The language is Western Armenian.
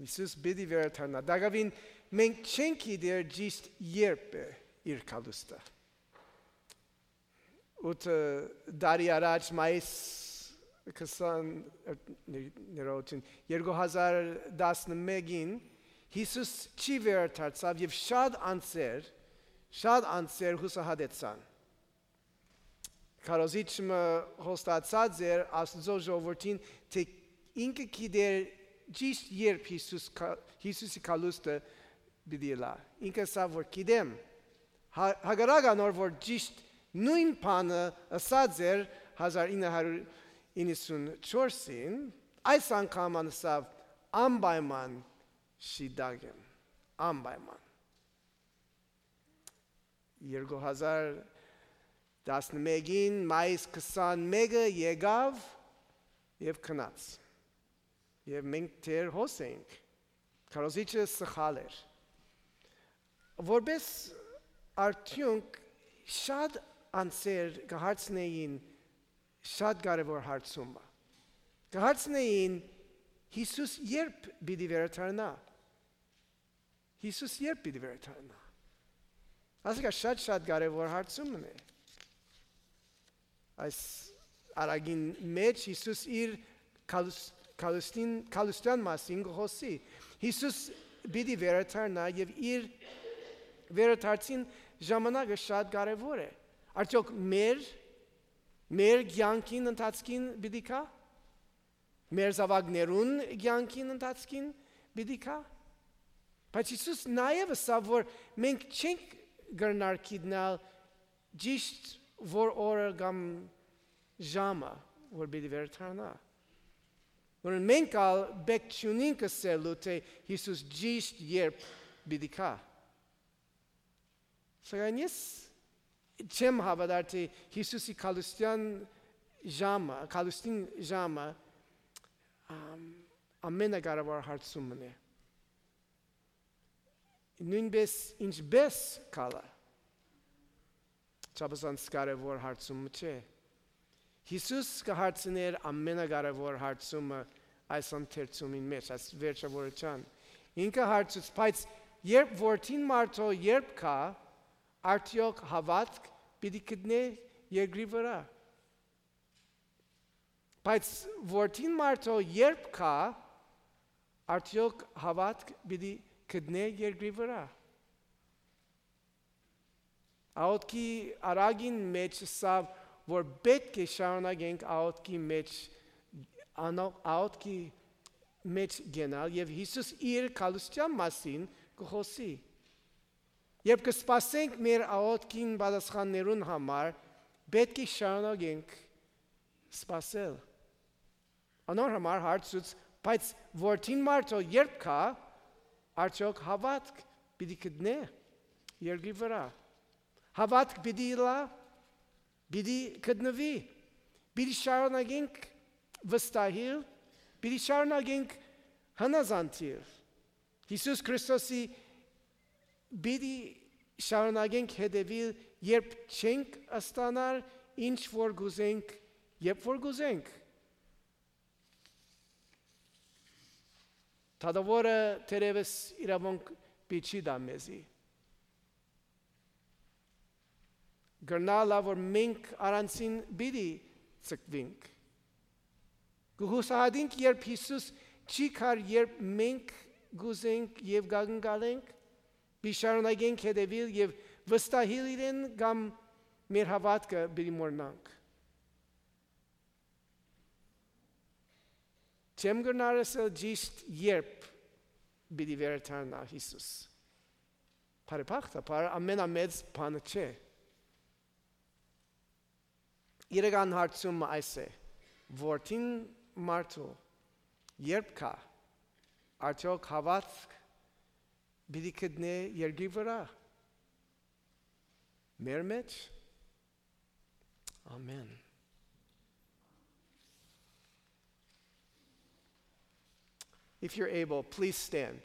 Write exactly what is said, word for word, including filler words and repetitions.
Յիսուս պիտի վերադառնայ։ Տակաւին մենք չենք գիտեր ճիշդ երբ է իր գալուստը։ Ութ տարի առաջ, մայիս քսան, ներողություն, երկու հազար տասնմէկին Յիսուս չի վերադարձաւ եւ շատ անձեր, շատ անձեր յուսահատեցան։ Քարոզիչ մը հոստացած էր Աստուծոյ ժողովուրդին, թէ ինքը գիտեր ճիշտ երբ Յիսուս կա-, Յիսուսի գալուստը պիտի ըլլայ։ Ինքը ըսաւ որ գիտեմ, հա-, հակառակ անոր որ ճիշտ նոյն բանը ըսած էր հազար ինը հարիւր իննսունչորսին, այս անգամ ան ըսաւ անպայման շիտակ եմ, անպայման։ Երկու հազար տասնմէկին մայիս քսանմէկը եկաւ եւ գնաց։ Եւ մենք դեռ հոս ենք։ Քարոզիչը սխալ էր։ Որպես արդիւնք շատ անձեր կը հարցնեին շատ կարեւոր հարցումը։ Կը հարցնեին Յիսուս երբ պիտի վերադառնայ։ Յիսուս երբ պիտի վերադառնայ։ Ասիկա շատ շատ կարեւոր հարցումն է։ Այս առակին մէջ Յիսուս իր գալուս-, գալուստին, գալուստեան մասին կը խօսի։ Յիսուս պիտի վերադառնայ եւ իր վերադարձին ժամանակը շատ կարեւոր է։ Արդեօք մեր, մեր կեանքին ընթացքին պիտի գա՞։ Մեր զաւակներուն կեանքին ընթացքին պիտի գա՞։ Բայց Յիսուս նաեւ ըսաւ որ մենք չենք կրնար գիտնալ ճիշտ որ օրը կամ ժամը որ պիտի վերադառնայ։ Որ մենք ալ պէտք չունինք ըսելու թէ Յիսուս ճիշտ երբ պիտի գայ։ Սակայն ես չեմ հաւատար թէ Յիսուսի գալուստեան ժամը, գալուստին ժամը, ամ, ամենակարեւոր հարցումն է։ Նոյնպէս ինչպէս գալը, չափազանց կարեւոր հարցումը չէ։ Յիսուս կը հարցնէր ամենակարեւոր հարցումը այս ընթերցումին մէջ, այս վերջավորութեան։ Ինքը հարցուց, բայց երբ որդին մարդոյ երբ գայ, արդեօք հաւատք պիտի գտնէ երկրի վրայ։ Բայց որդին մարդոյ երբ գայ, արդեօք հաւատք պիտի գտնէ երկրի վրայ։ Աղօթքի առակին մէջ ըսաւ որ պէտք է շարունակենք աղօթքի մէջ, անո-, աղօթքի մէջ գնալ եւ Յիսուս իր գալուստեան մասին կը խօսի։ Երբ կը սպասենք մեր աղօթքին պատասխաններուն համար, պէտք է շարունակենք սպասել։ Անոր համար հարցուց, բայց որդին մարդոյ երբ գայ, արդեօք հաւատք պիտի գտնէ երկրի վրայ։ Հաւատք պիտի ըլլայ, պիտի գտնուի, պիտի շարունակենք վստահիլ, պիտի շարունակենք հնազանդիլ։ Յիսուս Քրիստոսի պիտի շարունակենք հետևիլ, երբ չենք ստանար ինչ որ կուզենք, երբ որ կուզենք։ Դատաւորը թերեւս իրաւունք պիտի չի տայ մեզի։ Կրնայ ըլլայ որ մենք առանցին պիտի ձգուինք։ Կը յուսահատինք, երբ Յիսուս չի գար, երբ մենք կ'ուզենք եւ կակնկալենք, պիտի շարունակենք հետեւիլ եւ վստահիլ իրեն կամ մեր հաւատքը պիտի մոռնանք։ Չեմ կրնար ըսել ճիշտ երբ պիտի վերադառնայ Յիսուս։ Բարեբախտաբար, ամենամեծ բանը չէ։ Իրական հարցումը այս է. որդին մարդու երբ գայ, արդեօք հաւատք պիտի գտնէ երկրի վրայ, մեր մէջ։ Ամեն։ If you're able, please stand.